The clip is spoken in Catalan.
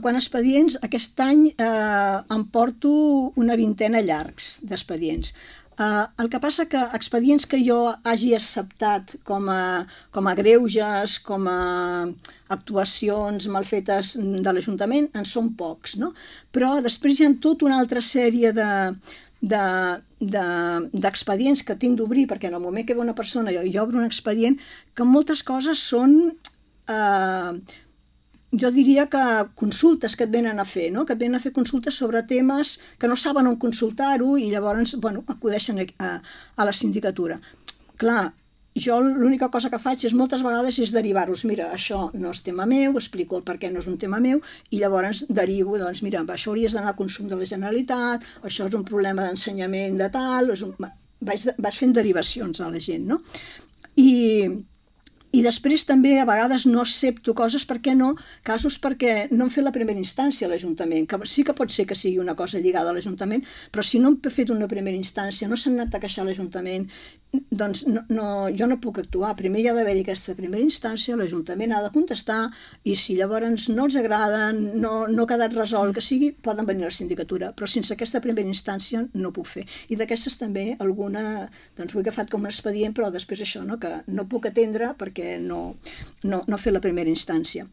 quant a expedients, aquest any em porto una vintena llargs d'expedients. El que passa que expedients que jo hagi acceptat com a greuges, com a actuacions mal fetes de l'Ajuntament, en són pocs, no? Però després hi ha tota una altra sèrie d'expedients que tinc d'obrir, perquè en el moment que ve una persona i obro un expedient, que moltes coses són... jo diria que consultes que et venen a fer, no? Que et venen a fer consultes sobre temes que no saben on consultar-ho i llavors acudeixen a la sindicatura. Clar, jo l'única cosa que faig moltes vegades és derivar-los. Mira, això no és tema meu, explico el per què no és un tema meu i llavors derivo, doncs mira, això hauries d'anar a consum de la Generalitat, això és un problema d'ensenyament de tal... Vaig fent derivacions a la gent, no? I després també a vegades no accepto coses, per què no? Casos perquè no hem fet la primera instància a l'Ajuntament, que sí que pot ser que sigui una cosa lligada a l'Ajuntament, però si no hem fet una primera instància, no s'han anat a queixar a l'Ajuntament, doncs jo no puc actuar. Primer hi ha d'haver-hi aquesta primera instància, l'Ajuntament ha de contestar i si llavors no els agraden, no ha quedat resolt, que sigui, poden venir a la sindicatura, però sense aquesta primera instància no puc fer. I d'aquestes també alguna, doncs ho he agafat com un expedient, però després això, no? Que no puc atendre perquè no he fet la primera instància.